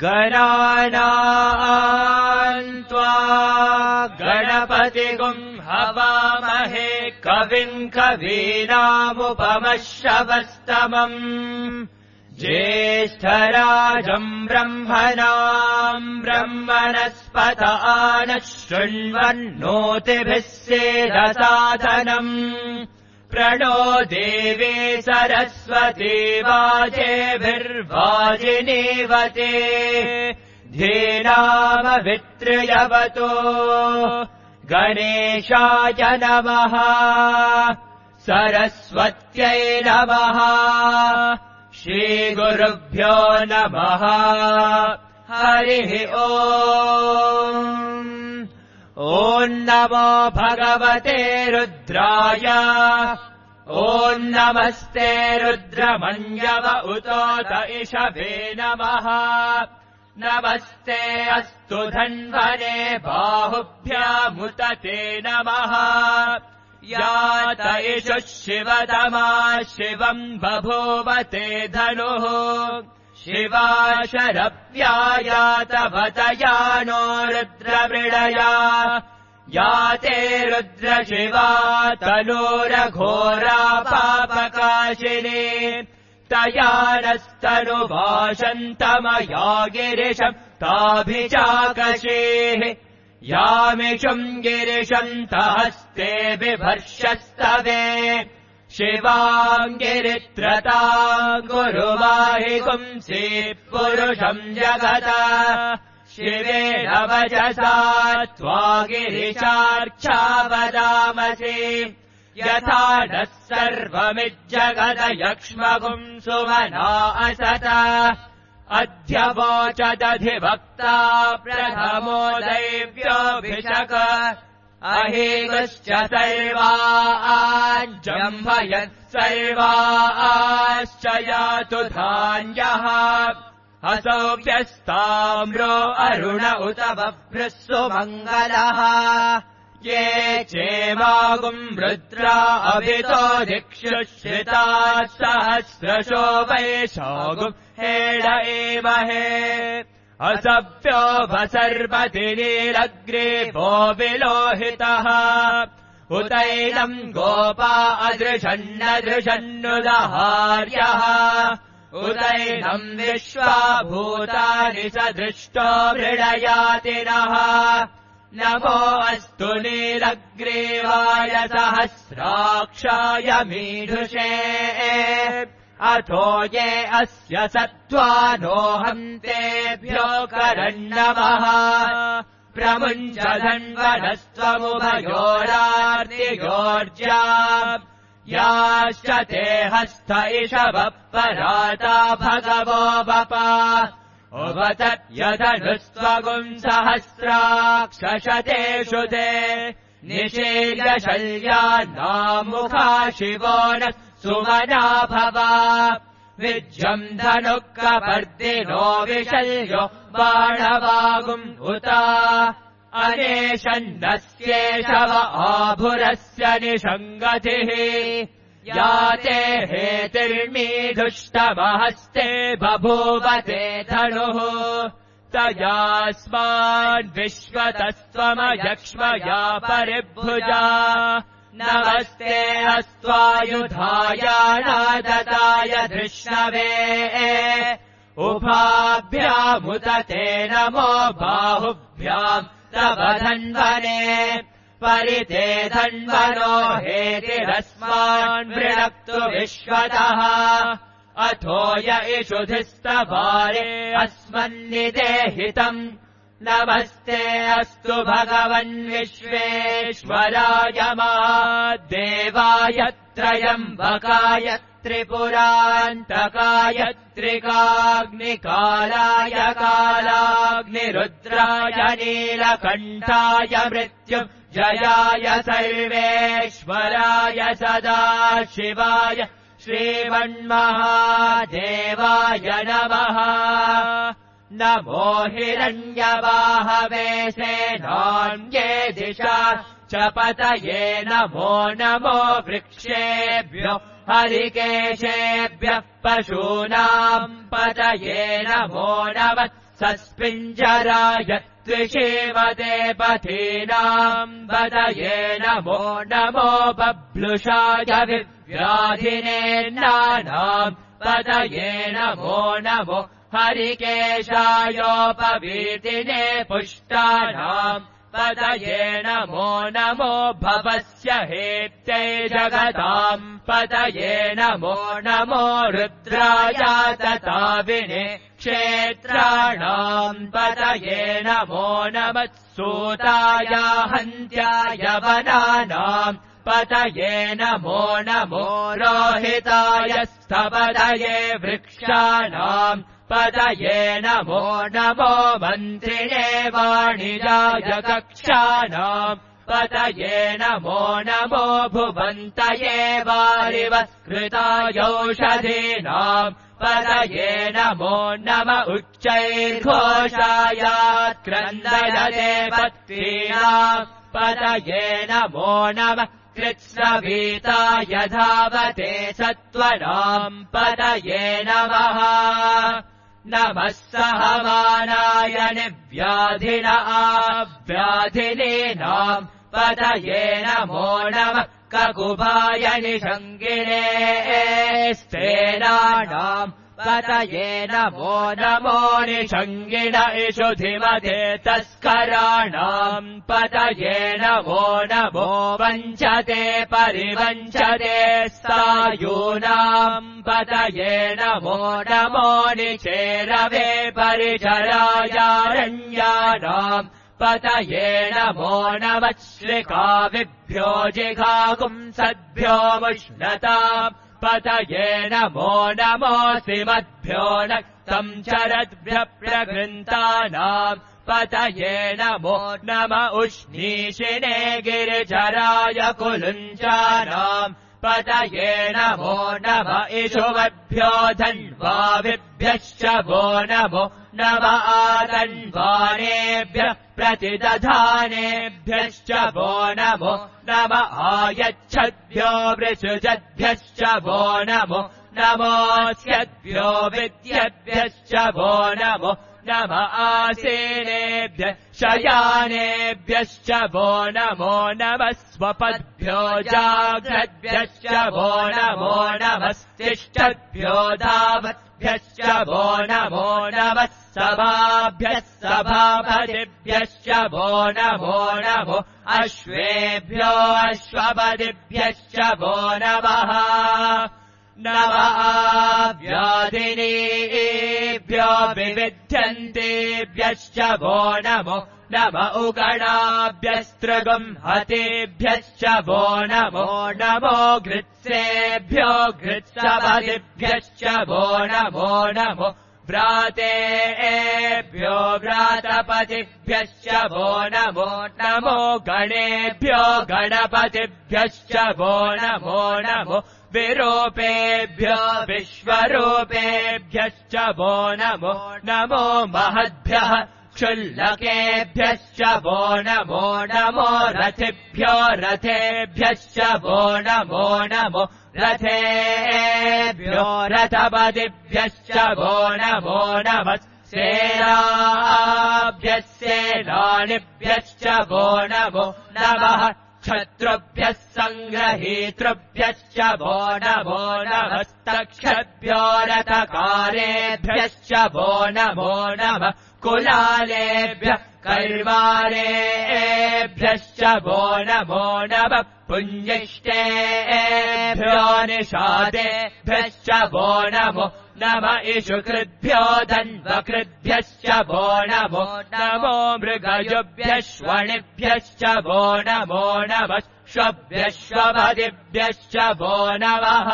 गणानाम् त्वा गणपतिगुम् हवामहे कविम् कवीनामुपमश्रवस्तमम् ज्येष्ठराजम् ब्रह्मणाम् ब्रह्मणस्पत नः शृण्वन्नोतिभिः सेदसाधनम् प्रणो देवी सरस्वती वाजेभिर्वाजिनीवते धेनामभित्र्यवतो गणेशाय नमः सरस्वत्यै नमः श्रीगुरुभ्यो नमः हरिः ओम् ॐ नमो भगवते रुद्राय ॐ नमस्ते रुद्रमन्यव उतोत इषभे नमः नमस्ते अस्तु धन्वने बाहुभ्यामुत ते नमः यात इषुः शिवतमा शिवम् बभूवते धनुः शिवा शरव्यायात वतयानो रुद्रमृडया याते रुद्रशिवा तनोरघोरा पापकाशिनी तया नस्तनुभाषन्तमया गिरिशम् ताभिचाकशीः यामिषुम् गिरिशन्तहस्ते बिभर्षस्तवे शिवाम् गिरित्रताम् गुरुवाहिगुंसि पुरुषम् जगत शिवेन वचसा त्वा गिरिशार्चा वदामसि यथा नः सर्वमिज्जगद यक्ष्मगुम् सुमना असत अद्य वोचदधिवक्ता प्रथमो दैव्योऽभिषक अहेगश्च सर्वाञ्जम्भयत् सर्वाश्च यातु धान्यः असौख्यस्ताम्रो अरुण उत बभ्रः सुमङ्गलः ये चेमागुम् रुद्रा अभितो दिक्षुश्रिताः सहस्रशो वैशागुम् हेड एमहे असभ्यो वसर्पति नीलग्रीवो विलोहितः उतैनम् गोपा अदृशन्नदृशन्नुदहार्यः उतैनम् विश्वा भूतानि सदृष्टो मृडयातिनः नमो अस्तु नीलग्रीवाय सहस्राक्षाय मीढुषे अथो ये अस्य सत्त्वानोऽहम् तेभ्यो करन्नमः प्रमुञ्च धन्वनस्त्वमुभयोरार्तिगोर्जा याश्च ते हस्त इषवः पराता भगवो वपा उभतत्यधनुस्त्वगुम् सहस्राक्षशतेषु ते निषेल्यशल्यान्नामुखा शिवो नः सुमना भवा विज्यम् धनुः कपर्दिनो विशल्यो बाणवागुम् उता अनेशन्नस्येषव आभुरस्य निषङ्गतिः याते हेतिर्मीधुष्टमहस्ते बभूवते धनुः तयास्माद्विश्वतस्त्वमयक्ष्मया परिभुजा नमस्ते अस्त्वायुधाय नादताय धृष्णवे उभाभ्यामुत ते नमो बाहुभ्याम् तव धन्वने परिते धन्वनो हेतिरस्मान् वृणक्तु विश्वतः अथो य इषुधिस्तवारे अस्मन्निदेहितम् नमस्ते अस्तु भगवन् विश्वेश्वराय महादेवाय त्रयम्बकाय त्रिपुरान्तकाय त्रिकाग्निकालाय कालाग्निरुद्राय नीलकण्ठाय मृत्युञ्जयाय सर्वेश्वराय सदाशिवाय श्रीमन्महादेवाय नमः नमो हिरण्यवाहवे सेनान्ये दिशा च पतये नमो नमो वृक्षेभ्यो हरिकेशेभ्यः पशूनाम् पतये नमो नमः सस्पिञ्जराय त्रिषीमते पथीनाम् पतये नमो नमो बभ्लुषाय विव्याधिनेन्नानाम् पतये नमो नमो हरिकेशायोपवीतिने पुष्टानाम् पतये नमो नमो भवस्य हेत्यै जगताम् पतये नमो नमो रुद्राय तताविने क्षेत्राणाम् पतये नमो नमः सूताय हन्त्याय वनानाम् पतये नमो नमो रोहिताय स्थपतये वृक्षाणाम् पतये नमो नमो मन्त्रिणे वाणिजाय कक्षाणाम् पतये नमो नमो भुवन्तये वारिवत्कृतायौषधीनाम् पतये नमो नम उच्चैर्घोषायात्क्रन्दयते पत्नीनाम् पतये नमो नमः कृत्स्रवीताय धावते सत्त्वनाम् पतये नमः नमः सहमानाय निव्याधिन आव्याधिनीनाम् पतये नमो नमः ककुभाय निषङ्गिणे स्तेनानाम् पतये नमो नमो निषङ्गिण इषुधिमते तस्कराणाम् पतये नमो नमो वञ्चते परिवञ्चते सायूनाम् पतये नमो नमो निचेरवे परिचरायारण्यानाम् पतये नमो नमः श्रिकाविभ्यो जिघाकुंसद्भ्यो मुष्णताम् पतये नमो नमोऽसिमद्भ्यो नक्तम् चरद्भ्यः प्रगृन्तानाम् पतये नमो नम उष्णीषिणे गिरिचराय कुलुञ्चानाम् पतये नमो नम इषुवद्भ्यो धन्वाविभ्यश्च वो नमो नम आतन्वानेभ्यः प्रतिदधानेभ्यश्च वो नमो नम आयच्छद्भ्यो वृषुजद्भ्यश्च वो नमो नमोऽस्यद्भ्यो विद्यद्भ्यश्च वो नमो नम आसीनेभ्यः शयानेभ्यश्च वो नमो नमः स्वपद्भ्यो जाग्रद्भ्यश्च वो नमो नमस्तिष्ठद्भ्यो धावद्भ्यश्च वो नमो नमः सभाभ्यः सभापतिभ्यश्च वो नमो नमो अश्वेभ्यो अश्वपतिभ्यश्च वो नमः नम आव्याधिनीभ्यो विविध्यन्तेभ्यश्च वो नमो नम उगणाभ्यस्त्रगुंहतेभ्यश्च वो नमो नमो घृत्सेभ्यो घृत्सपतिभ्यश्च वो नमो नमो व्रातेभ्यो व्रातपतिभ्यश्च वो नमो नमो गणेभ्यो गणपतिभ्यश्च वो नमो नमो विरूपेभ्यो विश्वरूपेभ्यश्च वो नमो नमो महद्भ्यः क्षुल्लकेभ्यश्च वो नमो नमो रथिभ्यो रथेभ्यश्च वो नमो नमो रथेभ्यो रथपतिभ्यश्च वो नमो नमः सेनाभ्यः सेनानिभ्यश्च वो नमो नमः क्षत्रुभ्यः सङ्ग्रहीतृभ्यश्च वो नमो नमस्तक्षद्भ्यो रथकारेभ्यश्च वो नमो नमः कुलालेभ्यः कैर्वारेभ्यश्च वो नमो नमः पुञ्जिष्टेभ्यो निषादेभ्यश्च वो नमो नम इषुकृद्भ्यो धन्वकृद्भ्यश्च वो नमो नमो मृगयुभ्यश्वणिभ्यश्च वो नमो नमः श्वभ्यश्वपतिभ्यश्च वो नमः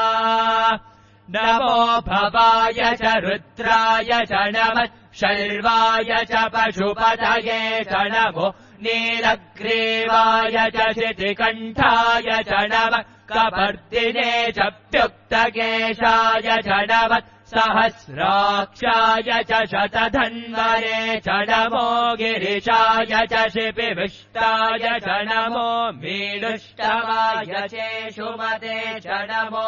नमो भवाय च रुद्राय च नमः शर्वाय च पशुपतये च नमो नीलग्रीवाय च शितिकण्ठाय च नमः कपर्दिने च प्युक्तकेशाय च नमः सहस्राक्षाय च शतधन्वरे च नमो गिरिशाय च शिपिविष्टाय च नमो मीडुष्टवाय चेषुमते च नमो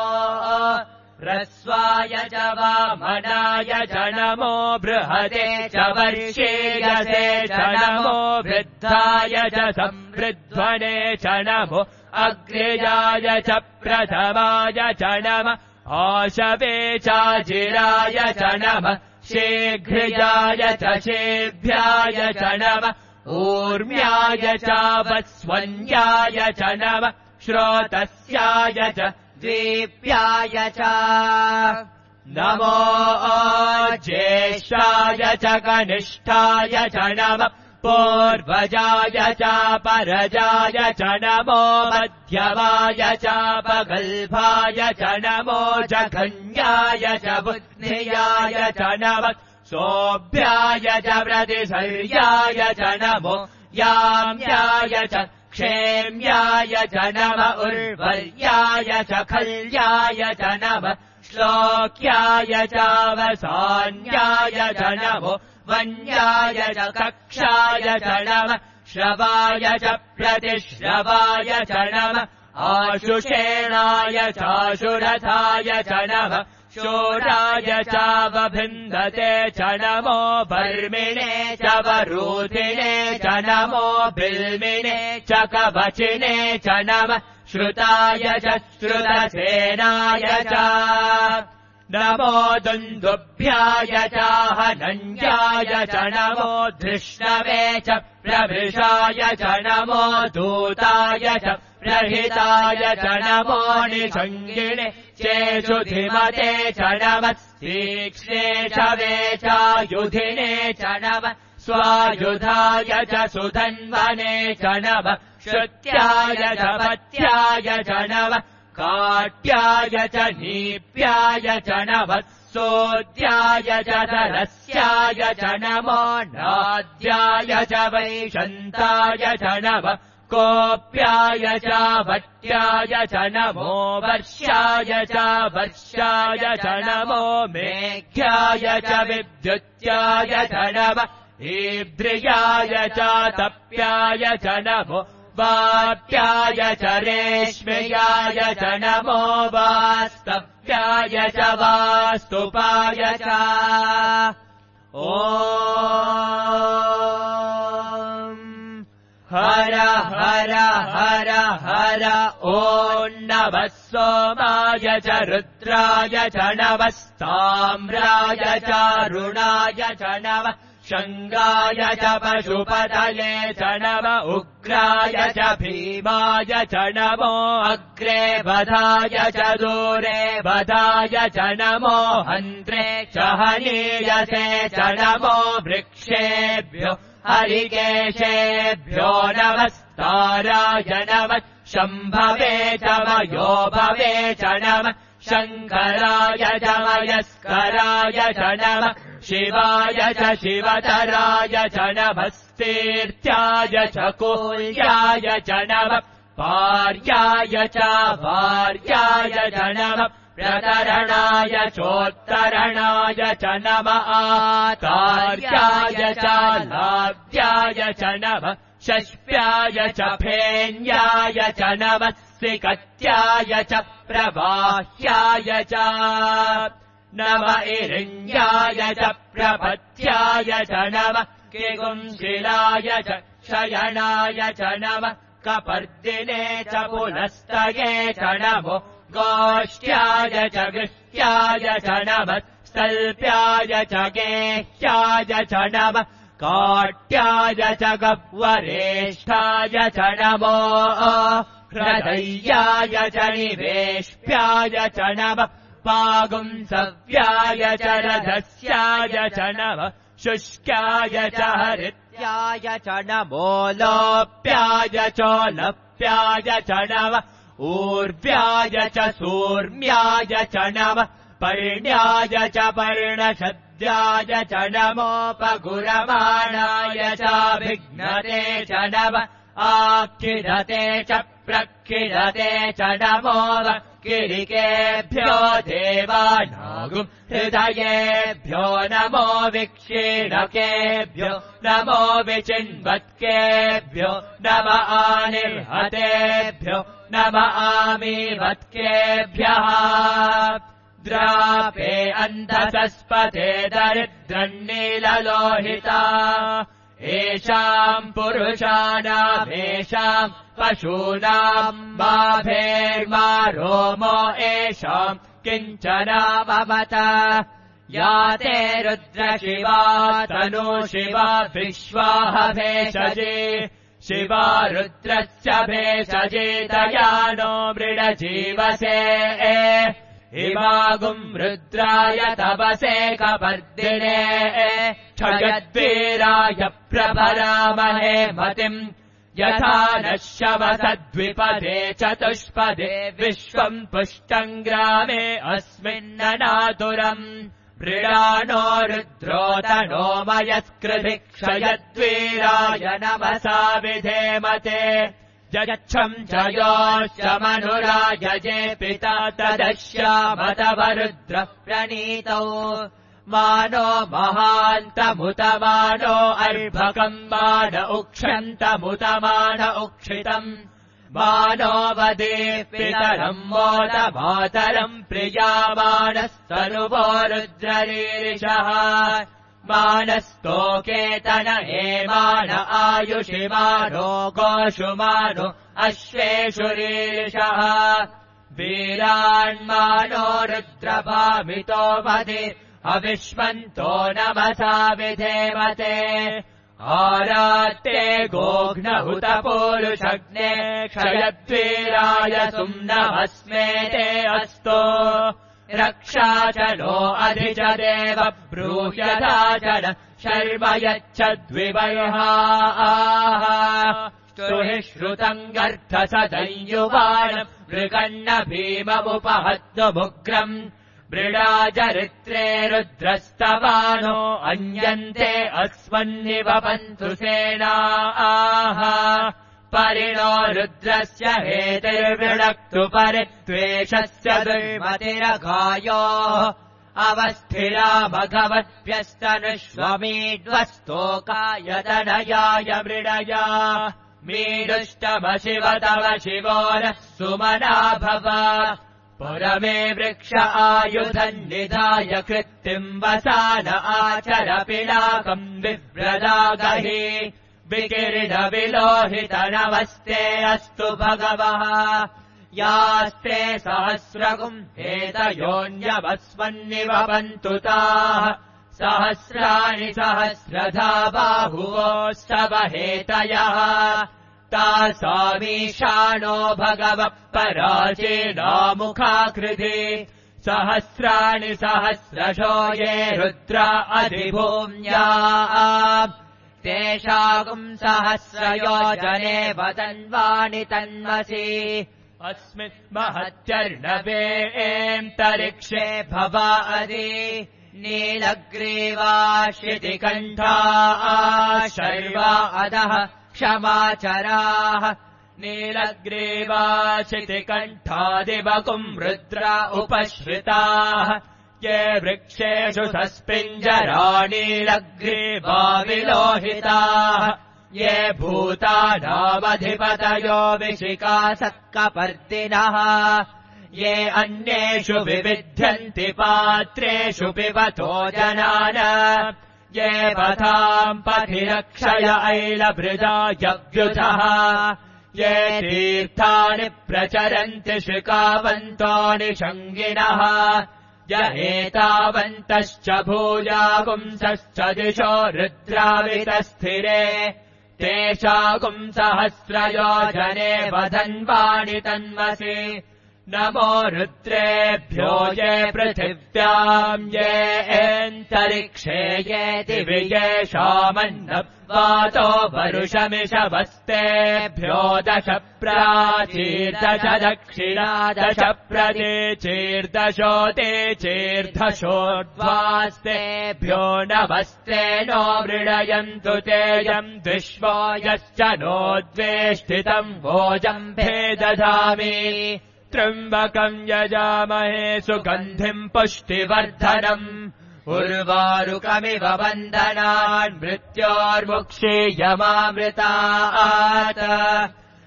ह्रस्वाय च वामनाय च नमो बृहते च वर्षेयसे च नमो वृद्धाय च संवृध्वने च नमो अग्रजाय च प्रथमाय च नमः आशवे चाजिराय च नमः शीघ्रजाय च शेभ्याय च नमः ऊर्म्याय च वस्वन्याय च नमः श्रोतस्याय च द्वीप्याय च नमो ज्येष्ठाय च कनिष्ठाय च नमः पूर्वजाय च परजाय च नमो मध्यमाय च पगल्भाय च नमो जघन्याय च बुद्धियाय च नमः सोऽभ्याय च प्रतिसर्याय च नमो याम्याय च क्षेम्याय च नमः उर्वर्याय च खल्याय च नमः श्लोक्याय च वसान्याय च नमो वन्याय च कक्षाय च नमः श्रवाय च प्रतिश्रवाय च नमः आशुषेणाय चाशुरथाय च नमः शूराय च वभिन्दते च नमो वर्मिणे च वरूधिने च नमो बिल्मिने च कवचिने च नमः श्रुताय च श्रुतसेनाय च नमो दुन्दुभ्याय च हनन्याय च नमो धृष्णवे च प्रभिषाय च नमो दूताय च प्रहिताय च नमो निषङ्गिणे चेषुधिमते च नमः तीक्ष्णे च वे च युधिने च नमः स्वायुधाय च सुधन्वने च नमः श्रुत्याय च पत्याय च नमः काट्याय च नीप्याय च नमः सोद्याय च धरस्याय च नमो नाद्याय च वैशन्ताय च नमः कोप्याय च वट्याय च नमो वर्ष्याय च वर्षाय च नमो मेघ्याय च विद्युत्याय च नमः ईद्रियाय च तप्याय च नमो वाप्याय च रेश्म्याय च नमो वास्तव्याय च वास्तुपाय च ॐ हर हर हर हर ॐ नमः सोमाय च रुद्राय च नमः ताम्राय च रुणाय च नमः शङ्गाय च पशुपतये च नमः उग्राय च भीमाय च नमो अग्रे वधाय च दूरे वधाय च नमो हन्त्रे च हनीयसे च नमो वृक्षेभ्यो हरिकेशेभ्यो नमस्ताराय नमः शम्भवे च मयोभवे च नमः शङ्कराय च मयस्कराय च नमः शिवाय च शिवतराय च नमस्तीर्थ्याय च कूल्याय च नमः पार्याय च वार्याय च नमः प्रतरणाय चोत्तरणाय च नमः आतार्याय च लाभ्याय च नमः शष्प्याय च फेन्याय च नमः सिकत्याय च प्रवाह्याय च नमः इरिण्याय च प्रपत्याय च नमः किगुंशिलाय च शयनाय च नमः कपर्दिने च पुनस्तये च नमो गोष्ठ्याय च गृह्याय च नमः स्तल्प्याय च गेह्याय च नमः काट्याय च गह्वरेष्ठाय च नमो हृदय्याय च निवेश्प्याय च नमः पागुंसव्याय च रथस्याय च नमः शुष्क्याय च हरित्याय च नमो लोप्याय चोलप्याय च नमः ऊर्व्याय च सूर्म्याय च नमः पर्ण्याय च पर्णशद्याय च नमोपगुरमाणाय च विघ्नते च नमः आखिरते च प्रखिरते च नमो किरिकेभ्यो देवानागुम् हृदयेभ्यो नमो विक्षीणकेभ्यो नमो विचिन्वत्केभ्यो नम आनिर्हतेभ्यो नम आमीवत्केभ्यः रुद्रापे अन्धसस्पते दरिद्रन्नीललोहिता एषाम् पुरुषाणामेषाम् पशूनाम् माभेर्मा रोमो एषाम् किञ्चनामवत या ते रुद्रशिवा तनु शिवा विश्वाह भेषजे शिवा रुद्रस्य भेषजे दयानो मृडजीवसे इमागुम् रुद्राय तपसे कपर्दिने क्षयद्वीराय प्रभरामहे मतिम् यथा नः शवसद्विपदे चतुष्पदे विश्वम् पुष्टम् ग्रामे अस्मिन्ननातुरम् मृडानो रुद्रोतनो मयस्कृधि क्षयद्वीराय नमसा विधेमते जच्छम् जयोश्च मनुरायजे पिता तदश्यामतवरुद्रः प्रणीतौ मानो महान्तमुतमानो अर्भकम् मान उक्षन्तमुतमान उक्षितम् मानो वदे पितरम् मोदमातरम् प्रियामानस्तनुवो रुद्ररीरिषः मानस्तोकेतन एमान आयुषिमानो गोषुमानो अश्वेषु रीरिषः वीरान्मानो रुद्रभामितो मदे अविश्वन्तो नमसा विधेमते आरात्ते गोघ्नहुतपूरुषग्ने क्षयद्वीराय सुम्नमस्मे ते अस्तो रक्षाचनो अधिच देव ब्रूह्यदाचन शर्म यच्छद्विवर्हाः स्तुहि श्रुतम् गर्धसदंयुवानम् मृगन्न भीममुपहत्तुमुग्रम् मृडाचरित्रे रुद्रस्तवानो अन्यन्ते अस्मन्निवपन्तु सेनाः परिणो रुद्रस्य हेतिर्वृणक्तु परित्वेषस्य दुर्मतिरघायोः अवस्थिरा भगवद्भ्यस्तनुष्वमीड्वस्तोकाय दनयाय मृडया मीडुष्टमशिव तव शिवो नः सुमना भव पुरमे वृक्ष आयुधम् निधाय कृत्तिम् वसान आचर पिनाकम् विव्रदागहि विकिरणविलोहितनवस्ते अस्तु भगवः यास्ते सहस्रगुम् हेतयोऽन्यवस्मन्निवपन्तु ताः सहस्राणि सहस्रधा बाहुवो स्तवहेतयः तासामीशानो भगवः पराचीनामुखाकृति सहस्राणि सहस्रशो ये रुद्रा अधिभूम्या तेषागुम् सहस्रयोजने वदन्वानि तन्वसि अस्मिन् महत्यर्णवेऽन्तरिक्षे भवादि नीलग्रीवा शितिकण्ठा शर्वा अधः क्षमाचराः नीलग्रीवा शितिकण्ठादिवकुम् रुद्रा उपश्रिताः ये वृक्षेषु सस्पिञ्जरा नीलग्रीवा विलोहिताः ये भूतानामधिपतयो विशिखासक्कपर्दिनः ये अन्येषु विविध्यन्ति पात्रेषु पिबतो जनान ये पथाम् पथिरक्षय ऐलभृजा यव्युधः ये तीर्थानि प्रचरन्ति शिखावन्तानि शङ्गिनः य एतावन्तश्च भूयागुंसश्च दिशो रुद्रावितस्थिरे तेषागुम् सहस्रयोजने वदन्वानि तन्वसि नमो रुद्रेभ्यो ये पृथिव्याम् ये एन्तरिक्षे ये दिवि येषामन्नवातो वरुषमिषवस्तेभ्यो दश प्राचीर्दश दक्षिणा दश प्रदेचीर्दशोते चीर्दशोर्ध्वास्तेभ्यो नमस्ते नो मृडयन्तु तेयम् विश्वो यश्च नोद्वेष्टितम् भोजम्भे दधामि त्र्यम्बकम् यजामहे सुगन्धिम् पुष्टिवर्धनम् उर्वारुकमिव वन्दनान् मृत्योर्मुक्षीयमामृतात्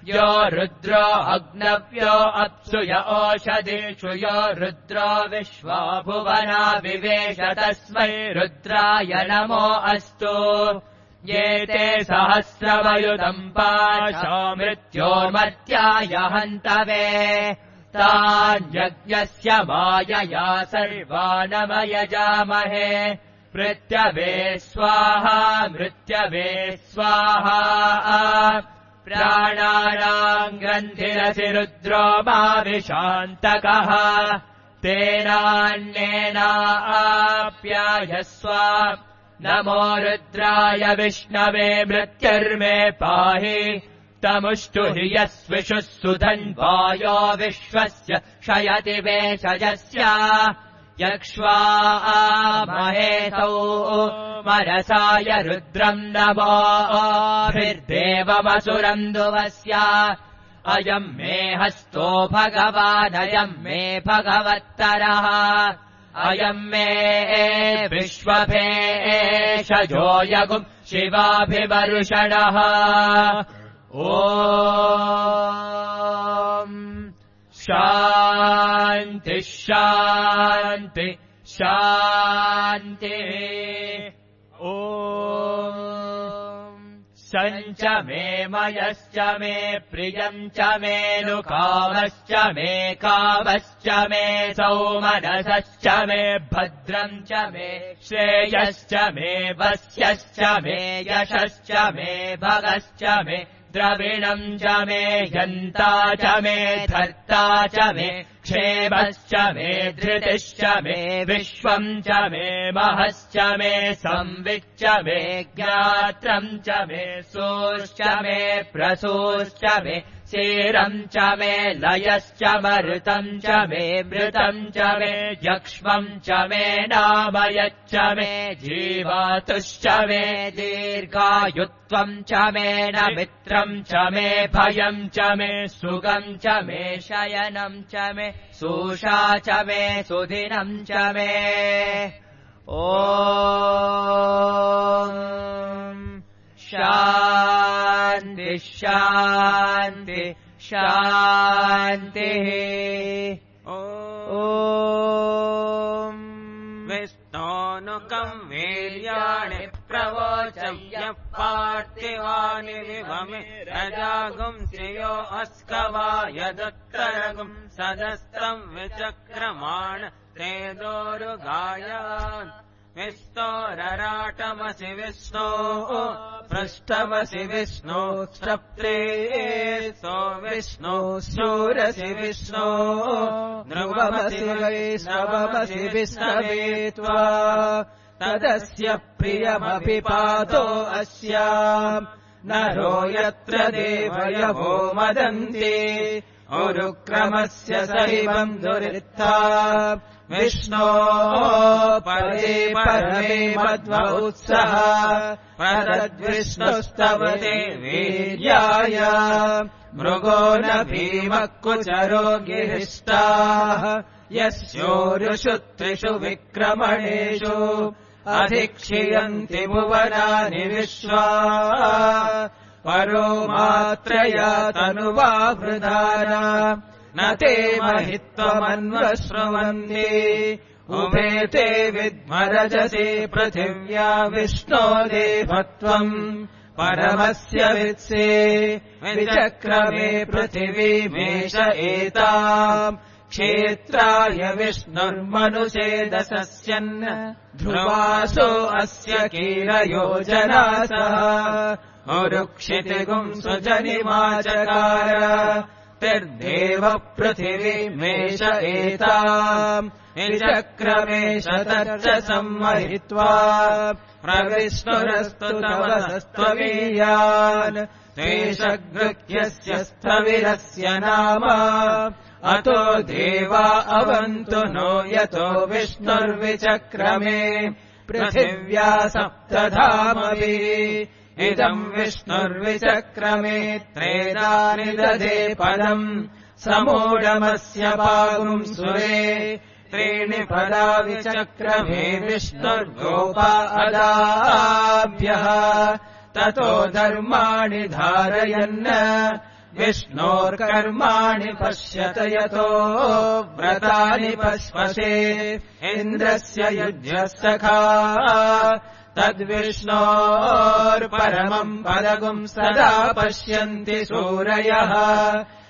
यो रुद्रो अग्नव्यो अप्सुय ओषधीषु यो रुद्रो विश्वा भुवना विवेश तस्मै रुद्राय नमो अस्तु ये ते सहस्रवयुतम् पाशो मृत्योर्मर्त्याय हन्तवे तान्यज्ञस्य मायया सर्वानमयजामहे मृत्यवे स्वाहा मृत्यवे स्वाहा प्राणानाम् ग्रन्थिरसि रुद्रो मा विशान्तकः तेनान्येनाप्यायस्व नमो रुद्राय विष्णवे मृत्युर्मे पाहि तमुष्टु हि यस्विषुः सुधन्वायो विश्वस्य शयति वेषजस्य यक्ष्वामहेतौ मनसाय रुद्रम् नमोभिर्देवमसुरम् दुवस्य अयम् मे हस्तो भगवानयम् मे भगवत्तरः अयम् मे विश्वभेषजो यगुम् शिवाभिवर्षणः ॐ शान्ति शान्ति शान्ति ॐ सञ्च मे मयश्च मे प्रियम् च मे नुकामश्च मे कामश्च मे सौमनसश्च मे भद्रम् च मे श्रेयश्च मे वस्यश्च मे यशश्च मे भगश्च मे द्रविणम् च मे यन्ता च मे धर्ता च मे क्षेमश्च मे धृतिश्च मे विश्वम् च मे महश्च मे संविच्च मे ज्ञात्रम् च मे सोश्च मे प्रसोश्च मे क्षीरम् च मे लयश्च मरुतम् च मे मृतम् च मे यक्ष्मम् च मे नामयच्च मे जीवातुश्च मे दीर्घायुत्वम् च मे न मित्रम् च मे भयम् च मे सुगम् च मे शयनम् च मे सूषा च मे सुदिनम् च मे ॐ शान्ति शान्ति शान्तिः ॐ विष्णोनुकम् वीर्याणि प्रवोचय्य पार्थिवानि विभमे रजागुम् श्रियो अस्कवाय दत्तरगुम् सदस्त्रम् विचक्रमाण तेदोरुगायान् विष्णोरराटमसि विष्णो पृष्ठमसि विष्णो क्षप्त्रेसो विष्णो शूरसि विष्णो ध्रुवमसि वैष्णवमसि विष्णवे त्वा तदस्य प्रियमभिपातो अस्याम् नरो यत्र देवयवो मदन्ति उरुक्रमस्य सैवम् दुरित्था विष्णो परे परमे मध्वोत्सः परद्विष्णुस्तवते वीर्याय मृगो न भीमः कुचरो गिरिष्टाः यस्योरुषु त्रिषु विक्रमणेषु अधिक्षियन्ति भुवनानि विश्वा परो मात्रया तनुवा वृधाना न ते महित्वमन्वश्रुवन्ति उभे ते विद्मरजसे पृथिव्या विष्णो देवत्वम् परमस्य वित्से विचक्रमे पृथिवीमेष एताम् क्षेत्राय विष्णुर्मनुषेदसस्यन् ध्रुवासो अस्य कीलयोजनासः उरुक्षितिगुम् सुजनिमाचकार तिर्देव पृथिवीमेष एताम् निचक्रमेष तच्च सम्महित्वा प्रविष्णुरस्तु तवसस्त्ववीयान् तेषगृह्यस्य स्थविरस्य नाम अतो देवा अवन्तु नो यतो विष्णुर्विचक्रमे पृथिव्या सप्तधामभिः इदम् विष्णुर्विचक्रमे त्रेधानि दधे पदम् समूढमस्य पागुम् सुरे त्रीणि पदा विचक्रमे विष्णुर्गोपा अदाभ्यः ततो धर्माणि धारयन् विष्णोर्कर्माणि पश्यत यतो व्रतानि पश्पसे इन्द्रस्य युज्यसखा तद्विष्णोर्परमम् पदगुम् सदा पश्यन्ति सूरयः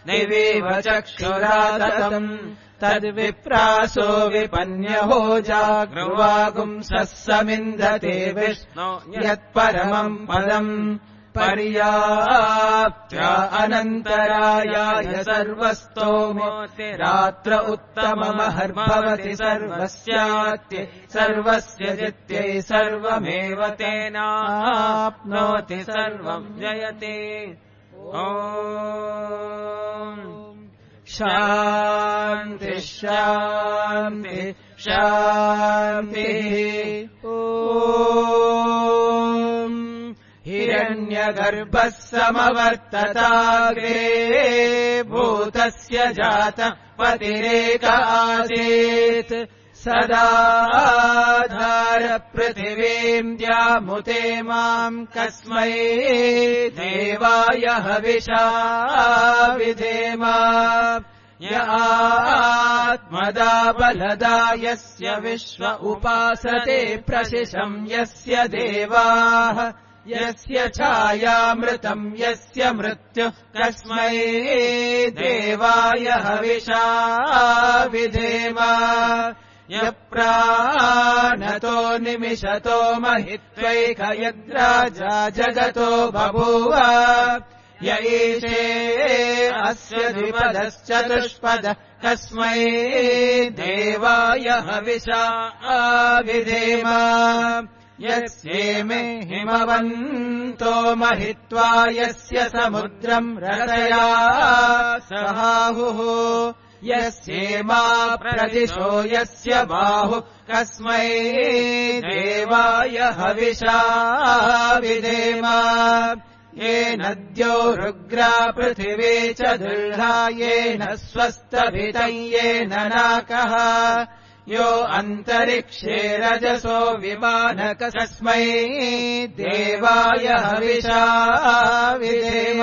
दिवीव चक्षुराततम् तद्विप्रासो विपन्यहो जागृवागुंसः समिन्धते विष्णो यत्परमम् पदम् पर्याप्त्य अनन्तरायाय सर्वस्तोमोति रात्र उत्तममहर्भवति सर्वस्यात्यै सर्वस्य जित्यै सर्वमेव तेनाप्नोति सर्वम् जयते शान्ति शान्ति शान्तिः हिरण्यगर्भः समवर्तताग्रे भूतस्य जातः पतिरेक आसीत् सदाधार पृथिवीम् द्यामुते माम् कस्मै देवाय हविषा विधेम य आत्मदा बलदा यस्य विश्व उपासते प्रशिशम् यस्य देवाः यस्य छायामृतम् यस्य मृत्युः कस्मै देवाय हविषा विधेम यप्राणतो निमिषतो महित्वैकयद्राजा जगतो बभूव य ईशे अस्य द्विपदश्चतुष्पदः कस्मै देवाय हविषा विधेम यस्येमे हिमवन्तो महित्वा यस्य समुद्रम् रसया सहाहुः यस्येमा प्रदिशो यस्य बाहु कस्मै देवाय हविषा विधेम ये नद्यो रुग्रा पृथिवी च दुर्हा येन स्वस्तभितं येन नाकः यो अन्तरिक्षे रजसो विमानक कस्मै देवाय हविषा विधेम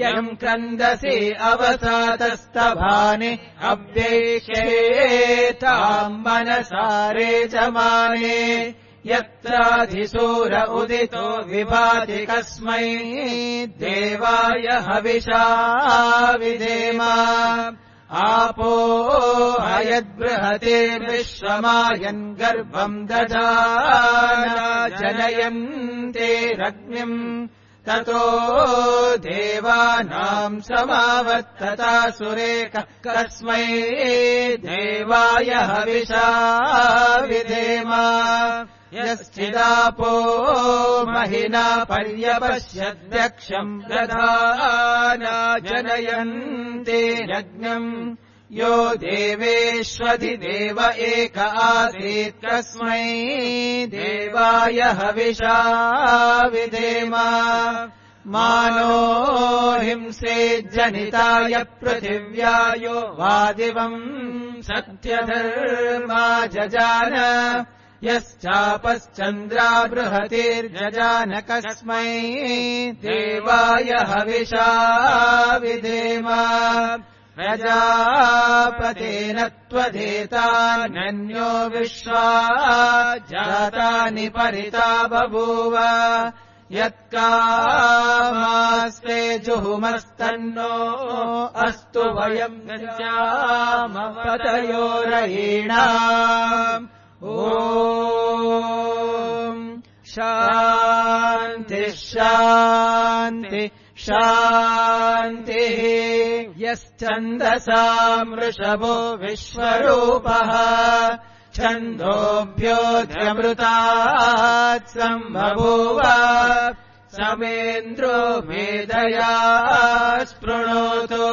यम् क्रन्दसि अवसातस्तभानि अव्येक्षेताम् मनसारे जमाने यत्राधिसूर उदितो विभाति कस्मै देवाय हविषा विधेम आपो हयद्बृहतेर्विश्वमायन् गर्भम् दधाना जनयन्तेरग्निम् ततो देवानाम् समावर्तता सुरेकः कस्मै देवाय हविषा विधेम यश्चिदापो महिना पर्यपश्यद्यक्षम् दधाना जनयन्तेरग्निम् यो देवेष्वधिदेव एक आसीत् कस्मै देवाय हविषा विधेम मानो हिंसेज्जनिताय पृथिव्यायो वादिवम् सत्यधर्मा जजान यश्चापश्चन्द्रा बृहतिर्जजान कस्मै देवाय हविषा विधेम प्रजापतेन त्वदेतान्यो विश्वा जातानि परिता बभूव यत्कामास्ते जुहुमस्तन्नो अस्तु वयम् गच्छामपतयोरयीणाम् ॐ शान्ति शान्ति शान्तिः यश्चन्दसाम् वृषभो विश्वरूपः छन्दोभ्योऽध्यमृतात् सम्बभूव समेन्द्रो मेधया स्पृणोतु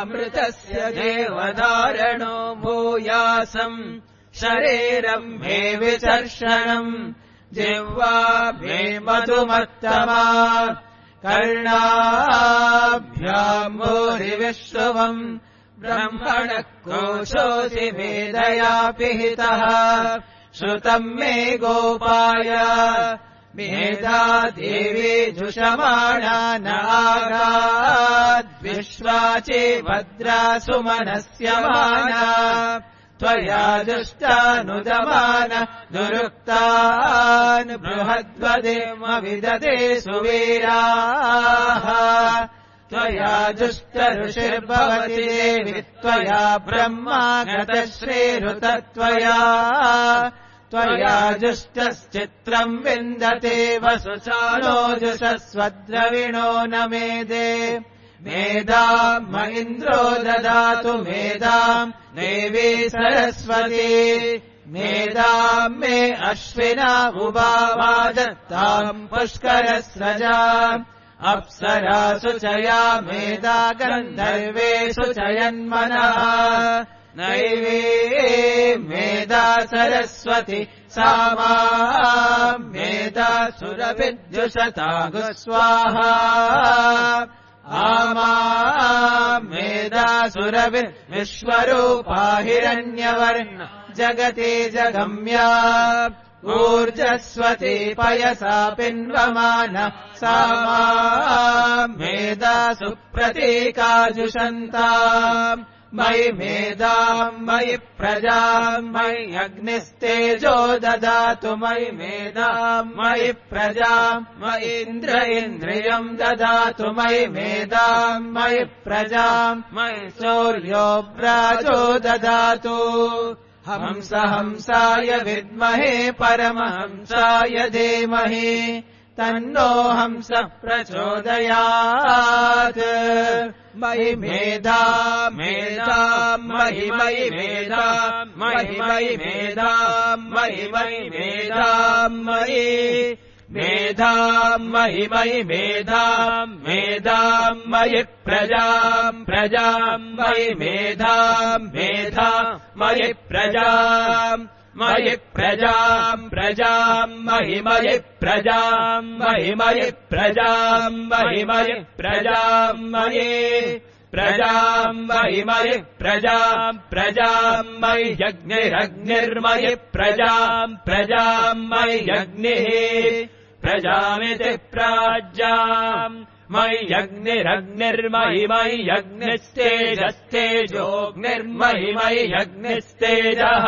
अमृतस्य देवधारणो भूयासम् शरीरम् मे विचर्षणम् जिह्वा मे मधुमत्तमा कर्णाभ्याम् भूरिविश्रुवम् ब्रह्मणः कोशोऽसि वेदया पिहितः श्रुतम् मे गोपाय मेधा देवी जुषमाणा नागाद्विश्वाचे भद्रा सुमनस्यमाना त्वया जुष्टानुदमान दुरुक्तान् बृहद्वदेम विदते सुवीराः त्वया जुष्ट ऋषिर्भवति देवि त्वया ब्रह्मा गतश्रीरुतत्वया त्वया जुष्टश्चित्रम् विन्दते वसुचानोजुषस्वद्रविणो न मेदे मेधाम् म इन्द्रो ददातु मेधाम् देवी सरस्वती मेधाम् मे अश्विना उभावादत्ताम् पुष्करस्रजाम् अप्सरासु च या मेधा गन्धर्वेषु च यन्मनः नैवे मेधा सरस्वती सा मेधा सुरभिर्जुषतागु स्वाहा आमा मेधा सुरभिर्विश्वरूपा हिरण्यवर्ण जगति जगम्या ऊर्जस्वती पयसा पिन्वमान सा मेधा सुप्रतीकाजुषन्ताम् मयि मेधाम् मयि प्रजाम् मयि अग्निस्तेजो ददातु मयि मेधाम् मयि प्रजाम् मयि इन्द्रियम् ददातु मयि मेधाम् मयि प्रजाम् मयि सूर्यो व्राजो ददातु हंस हंसाय विद्महे परमहंसाय धीमहि तन्नो हंस प्रचोदयात् मयि मेधा मेधाम् मयि मयि मेधाम् मयि मयि मेधाम् मयि मयि मेधाम् मयि मेधाम् मयि मयि मेधाम् मेधाम् मयि प्रजाम् प्रजाम् मयि मेधाम् मेधाम् मयि प्रजाम् मयि प्रजाम् प्रजाम् मयि मयि प्रजाम् मयि मयि प्रजाम् मयि मयि प्रजाम् मयि प्रजाम् मयि मयि प्रजाम् प्रजाम् मयि यज्ञिरग्निर्मयि प्रजाम् प्रजाम् मयि यज्ञिः प्रजामिति प्राज्याम् मयि यज्ञिरग्निर्मयि मयि यज्ञिस्तेजस्तेजोऽग्निर्मयि मयि यज्ञिस्तेजः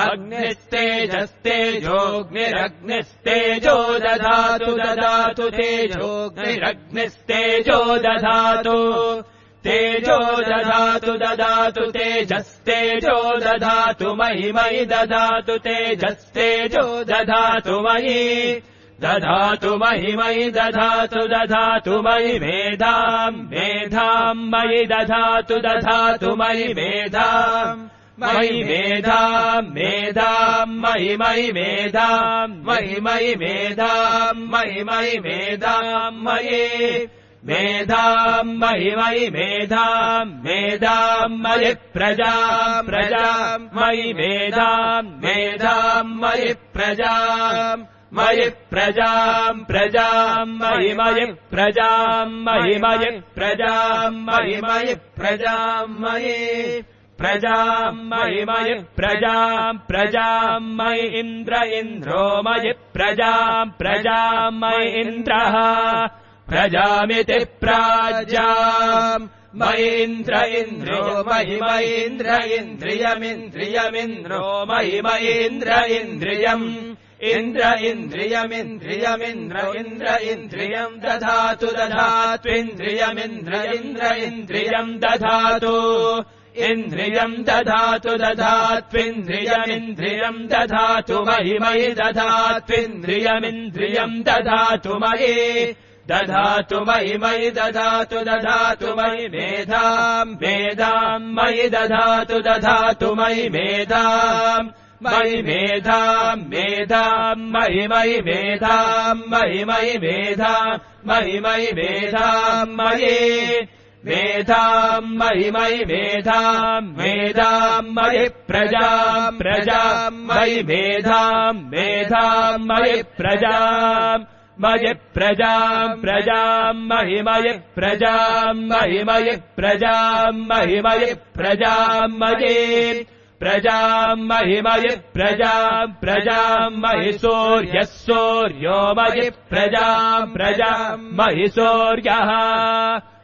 अग्निस्तेजस्तेजोऽग्निरग्निस्तेजो दधातु ददातु तेजोऽग्निरग्निस्तेजो दधातु तेजो दधातु ददातु तेजस्तेजो दधातु मयि मयि दधातु तेजस्तेजो दधातु मयि दधातु मयि मयि दधातु दधातु मयि मेधाम् मेधाम् मयि दधातु दधातु मयि मेधाम् मयि मेधाम् मेधाम् मयि मयि मेधाम् मयि मयि मेधाम् मयि मयि मेधाम् मयि मेधाम् मयि मयि मेधाम् मेधाम् मयि प्रजाम् प्रजाम् मयि मेधाम् मेधाम् मयि प्रजाम् मयि प्रजाम् प्रजाम् मयि मयि प्रजाम् मयि मयि प्रजाम् मयि मयि प्रजाम् मयि प्रजाम् मयि मयि प्रजाम् प्रजाम् मयि इन्द्रो मयि प्रजाम् प्रजाम् मयि इन्द्रः प्रजामिति प्राज्याम् मयि इन्द्रो मयि मयि इन्द्रियमिन्द्रियमिन्द्रियमिन्द्रो मयि मयि इन्द्रियम् इन्द्रियम् दधातु दधात्विन्द्रियमिन्द्रियम् दधातु इन्द्रियम् दधातु दधात्विन्द्रियमिन्द्रियम् दधातु मयि मयि दधात्विन्द्रियमिन्द्रियम् दधातु मयि दधातु मयि मयि दधातु दधातु मयि मेधाम् मेधाम् मयि दधातु दधातु मयि मेधाम् मयि मेधाम् मेधाम् मयि मयि मेधाम् मयि मयि मेधाम् मयि मयि मेधाम् मयि मेधाम् मयि मयि मेधाम् मेधाम् मयि प्रजाम् प्रजाम् मयि मेधाम् मेधाम् मयि प्रजाम् मयि प्रजाम् प्रजाम् मयि मयि प्रजाम् मयि मयि प्रजाम् मयि मयि प्रजाम् मयि प्रजाम् महिमयि प्रजाम् प्रजाम् महि सूर्यः सूर्यो मयि प्रजाम् महि सूर्यः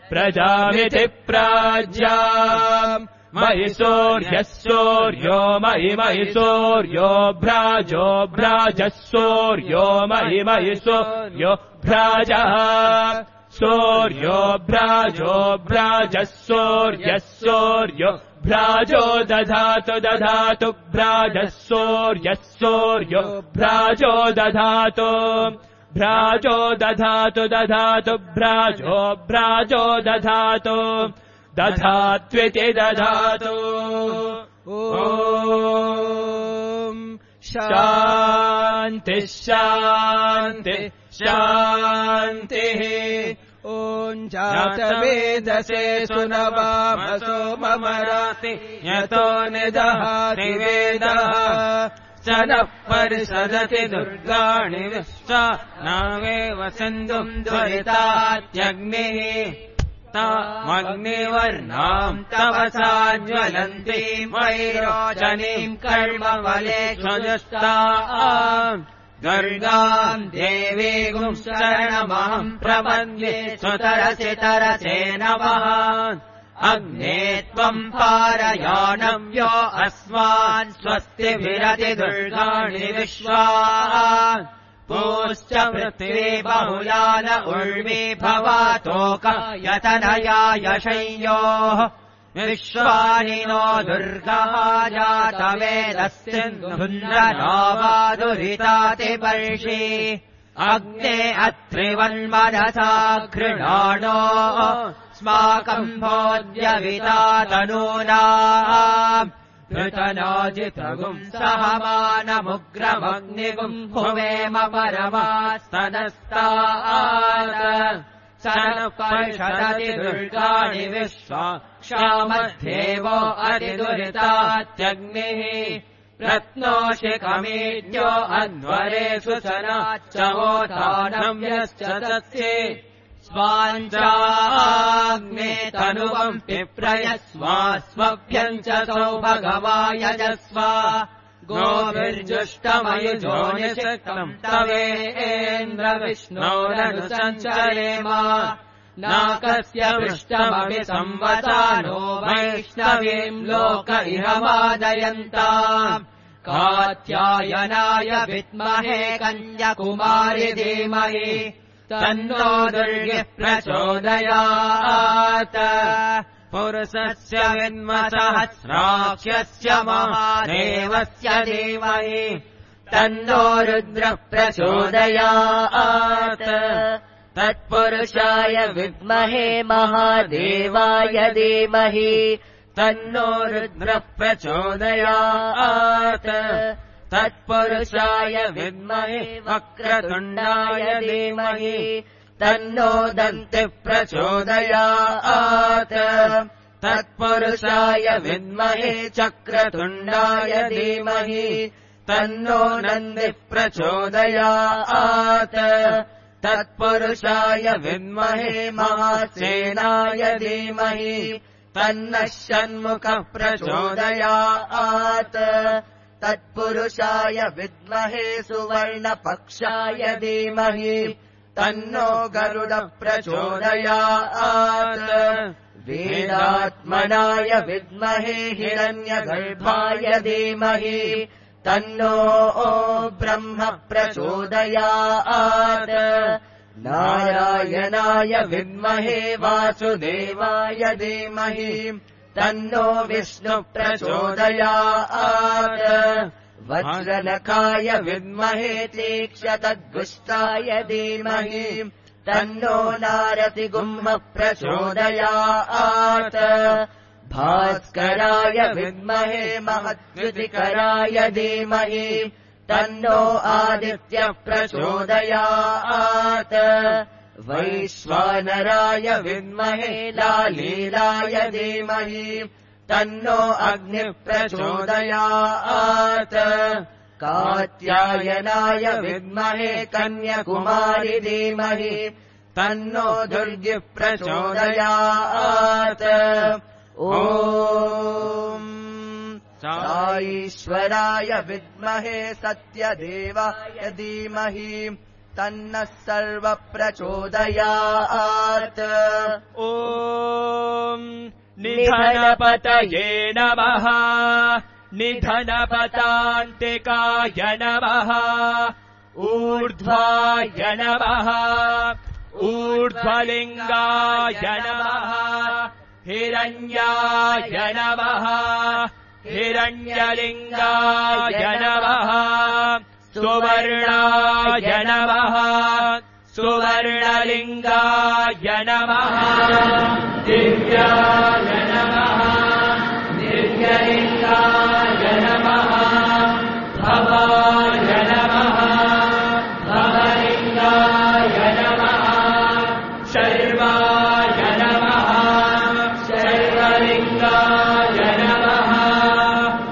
प्रजामिति प्राज्याम् महि सूर्यः सूर्यो महि सूर्यो भ्राजः सूर्यो महि सूर्यो भ्राजः सूर्यो भ्राजः सूर्यः सूर्यो भ्राजो दधातु भ्राजः सूर्यः सूर्यो भ्राजो दधातु भ्राजो दधातु दधात्विति दधातु ॐ शान्तिः शान्तिः ॐ जातवेदसे सुनवामसो ममराति यतो निदहाति वेदः स नः परिषदति दुर्गाणि विश्वा नावेव सिन्धुम् दुरितात्यग्निः तामग्निवर्णाम् तवसा ज्वलन्तीम् वैरोचनीम् कर्मफलेष्वजुष्टाम् दुर्गाम् देवीगुम् शरणमहम् प्रपद्ये सुतरसे नमः अग्ने त्वम् पारयाणव्यो अस्मान् स्वस्तिभिरति दुर्गाणि विश्वा पूश्च पृथिवी बहुलान उर्वी भवातोक यतनया यशय्योः विश्वानि नो दुर्गः जातवेदस्सिन्धुन्नरावादुरिताति वर्षि अग्ने अत्रिवन्मनसा घृणाणो स्माकम् भोज्यविता तनूना ऋतनाजितगुम् सहमानमुग्रमग्निगुम् भुवेम परमास्तनस्तात् स नः परिषदति दुर्गाणि विश्वा क्षामध्येवो अतिदुरितात्यग्निः रत्नोषिकमीड्यो अध्वरेषु सनाच्चवोधानव्यश्च तस्ये स्वाञ्चाग्ने तनुवम् पिप्रयस्वास्मभ्यम् च सौभगवायजस्व गोभिर्जुष्टमयुजोनिषिक्तम् तवेन्द्रविष्णोरनुसञ्चरेम नाकस्य पृष्ठमपि संवसानो वैष्णवीम् लोक इह वादयन्ताम् कात्यायनाय विद्महे कन्याकुमारि धीमहि तन्नो दुर्गिः प्रचोदयात् पुरुषस्य विद्मसहस्राक्षस्य महादेवस्य धीमहि तन्नो रुद्रः प्रचोदयात् तत्पुरुषाय विद्महे महादेवाय धीमहि तन्नो रुद्रः प्रचोदयात् तत्पुरुषाय विद्महे वक्रतुण्डाय धीमहि तन्नो दन्तिः प्रचोदयात् तत्पुरुषाय विद्महे चक्रतुण्डाय धीमहि तन्नो नन्दिः प्रचोदयात् तत्पुरुषाय विद्महे महासेनाय धीमहि तन्नः षण्मुखः प्रचोदयात् तत्पुरुषाय विद्महे सुवर्णपक्षाय धीमहि तन्नो गरुडः प्रचोदयात् वेदात्मनाय विद्महे हिरण्यगर्भाय धीमहि तन्नो ब्रह्म प्रचोदयात् नारायणाय विद्महे वासुदेवाय धीमहि तन्नो विष्णुः प्रचोदयात् वज्रनखाय विद्महे तीक्ष्णतद्गुष्टाय धीमहि तन्नो नारसिंहः प्रचोदयात् भास्कराय विद्महे महद्युतिकराय धीमहि तन्नो आदित्यः प्रचोदयात् वैश्वानराय विद्महे लालीलाय धीमहि तन्नो अग्निः प्रचोदयात् कात्यायनाय विद्महे कन्याकुमारि धीमहि तन्नो दुर्गिः प्रचोदयात् ॐ ईश्वराय विद्महे सत्यदेवाय धीमहि तन्नः सर्वप्रचोदयात्। ॐ निधनपतये नमः। निधनपतान्तिकाय नमः। ऊर्ध्वाय नमः। ऊर्ध्वलिङ्गाय नमः। हिरण्याय नमः। हिरण्यलिङ्गाय नमः। सुवर्णाय नमः। सुवर्णलिङ्गाय नमः। दिव्याय नमः। दिव्यलिङ्गाय नमः। भवाय नमः। भवलिङ्गाय नमः। शर्वाय नमः। शर्वलिङ्गाय नमः।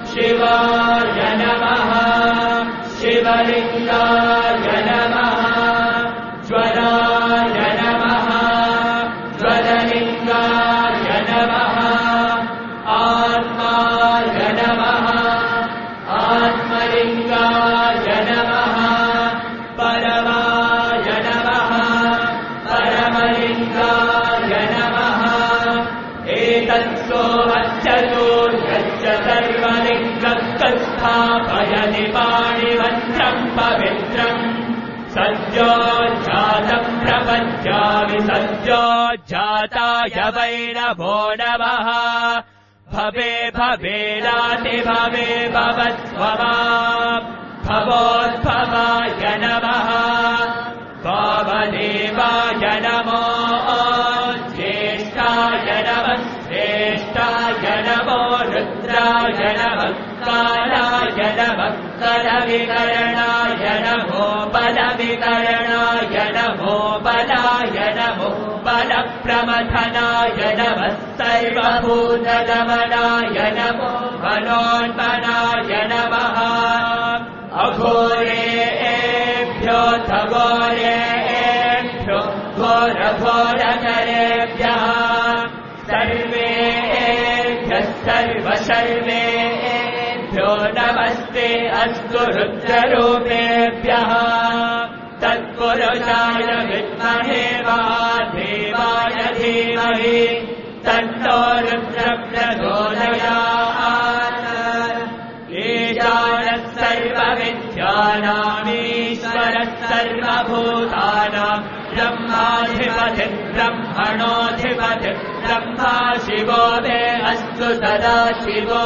शिवाय नमः। शिवलिङ्गाय नमः। ज्वलाय नमः। ज्वललिङ्गाय नमः। आत्माय नमः। आत्मलिङ्गाय नमः। परमाय नमः। परमलिङ्गाय नमः। एतत्सोमश्चतो यच्च सर्वलिङ्गस्थापयति पाणिवन्त्रम् पवित्रम् सद्योज्जातम् प्रपद्यामि सद्योज्जाताय वै नमो नमः। भवे भवेनाति भवे भवत्वमाम् भवोद्भवाय नमः। वामदेवाय नमो ज्येष्ठाय नमः। श्रेष्ठाय नमो रुद्राय नमः। कालाय नमः। कलविकरणाय नमो बलविकरणाय नमो बलाय नमो बलप्रमथनाय नमः। सर्वभूतदमनाय नमो मनोन्मनाय नमः। अघोरेभ्यो घोरेभ्यो घोरघोरकरेभ्यः सर्वेभ्यः सर्वशर्वेभ्यो नमस्ते अस्तु रुद्ररूपेभ्यः। तत्पुरुषाय विद्महे महादेवाय धीमहि तन्नो रुद्रप्रचोदयात्। ईशानः सर्वविद्यानामीश्वरः सर्वभूतानाम् ब्रह्माधिपतिः ब्रह्मणोऽधिपतिः ब्रह्मा शिवो मे अस्तु सदा शिवो।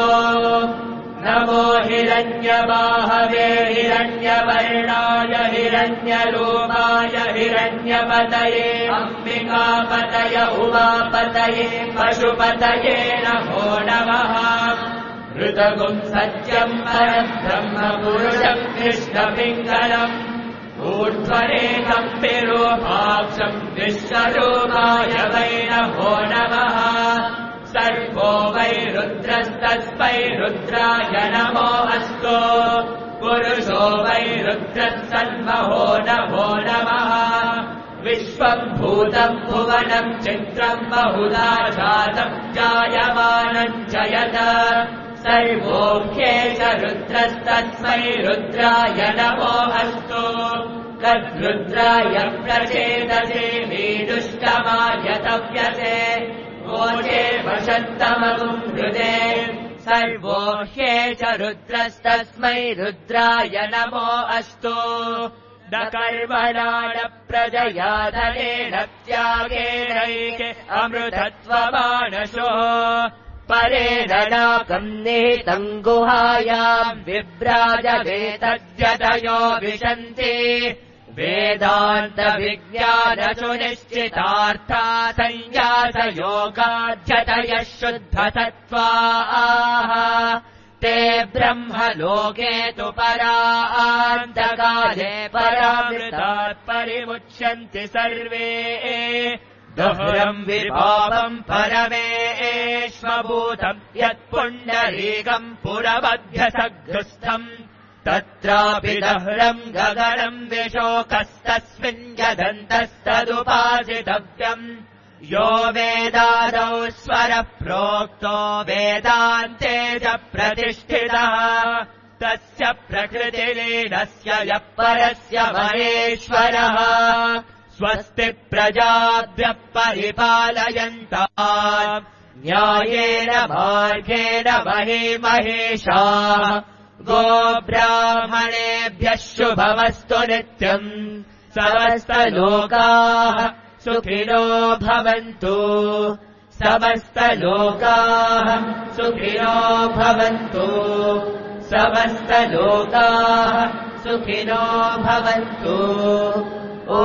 नमो हिरण्यबाहवे हिरण्यवर्णाय हिरण्यरूपाय हिरण्यपतये अम्बिकापतय उमापतये पशुपतये नमो नमः। ऋतगुम् सत्यम् परम् ब्रह्मपुरुषम् कृष्णपिङ्गलम् ऊर्ध्वरेकम् विरूपाक्षम् विश्वरूपाय वै नमो नमः। सर्वो वै रुद्रस्तस्मै रुद्राय नमो अस्तु। पुरुषो वै रुद्रः सन्महो नमो नमः। विश्वम् भूतम् भुवनम् चित्रम् बहुधा जातम् जायमानम् च यत् सर्वोऽख्येष रुद्रस्तस्मै रुद्राय नमो अस्तु। तद्रुद्राय प्रचेदसे वीदुष्टमाय तव्यसे वोचे वशन्तमगुम् हृदे सर्वोऽह्येष रुद्रस्तस्मै रुद्राय नमो अस्तु। न कर्मणा न प्रजया धनेन त्यागेनैके अमृतत्वमानशो परेण नाकम् निहितम् गुहायाम् विभ्राजवेतद्यतयो विशन्ति वेदान्तविज्ञानसुनिश्चितार्था संन्यासयोगाध्यतयः शुद्धसत्त्वाः ते ब्रह्मलोके तु परान्तकाले परामृतात् परिमुच्यन्ति सर्वे। दोहरम् विभावम् परमेष्वभूतम् यत्पुण्डरीकम् पुरमध्यसघ्रस्थम् तत्रापि दह्रम् गगनम् विशोकस्तस्मिन् यदन्तस्तदुपासितव्यम् यो वेदादौ स्वरः प्रोक्तो वेदान्ते च प्रतिष्ठितः तस्य प्रकृतिलीनस्य यः परस्य महेश्वरः स्वस्ति प्रजाभ्यः परिपालयन्ताम् न्यायेन मार्गेण महीमहेशाः गोब्राह्मणेभ्यः शुभमस्तु नित्यम् समस्तलोकाः सुखिनो भवन्तु समस्तलोकाः सुखिनो भवन्तु समस्तलोकाः सुखिनो भवन्तु। ओ